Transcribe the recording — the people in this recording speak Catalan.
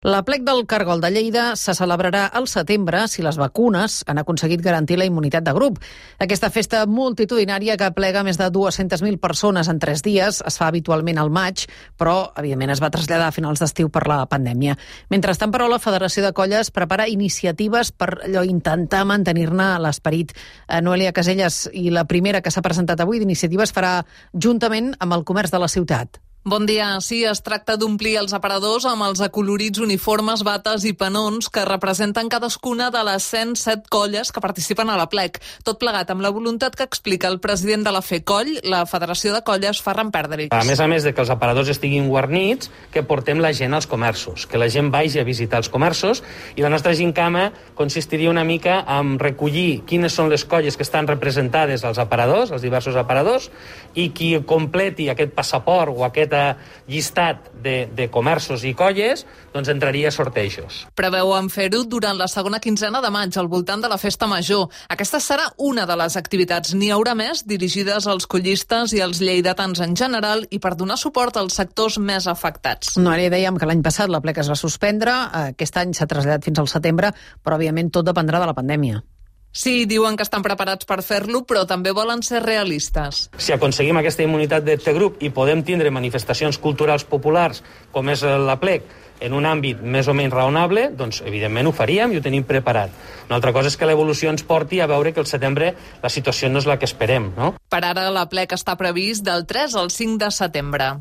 L'aplec del Cargol de Lleida se celebrarà al setembre si les vacunes han aconseguit garantir la immunitat de grup. Aquesta festa multitudinària que aplega més de 200.000 persones en 3 dies es fa habitualment al maig, però, evidentment, es va traslladar a finals d'estiu per la pandèmia. Mentrestant, però, la Federació de Colles prepara iniciatives per intentar mantenir-ne l'esperit. Noelia Caselles, i la primera que s'ha presentat avui d'iniciativa es farà juntament amb el comerç de la ciutat. Bon dia. Sí, es tracta d'omplir els aparadors amb els acolorits uniformes, bates i panons que representen cadascuna de les 107 colles que participen a l'aplec. Tot plegat amb la voluntat que explica el president de la FEColl, la Federació de Colles, Ferran Perdrix. A més de que els aparadors estiguin guarnits, que portem la gent als comerços, que la gent vagi a visitar els comerços, i la nostra gincama consistiria una mica en recollir quines són les colles que estan representades als aparadors, als diversos aparadors, i qui completi aquest passaport o aquest llistat de comerços i colles, doncs entraria a sortejos. Preveuen fer-ho durant la segona quinzena de maig, al voltant de la Festa Major. Aquesta serà una de les activitats. N'hi haurà més dirigides als collistes i als lleidatans en general i per donar suport als sectors més afectats. Ara dèiem que l'any passat l'aplec es va suspendre, aquest any s'ha traslladat fins al setembre, però òbviament tot dependrà de la pandèmia. Sí, diuen que estan preparats per fer-lo, però també volen ser realistes. Si aconseguim aquesta immunitat de grup i podem tindre manifestacions culturals populars, com és l'aplec, en un àmbit més o menys raonable, doncs evidentment ho faríem i ho tenim preparat. Una altra cosa és que l'evolució ens porti a veure que al setembre la situació no és la que esperem, no? Per ara l'aplec està previst del 3 al 5 de setembre.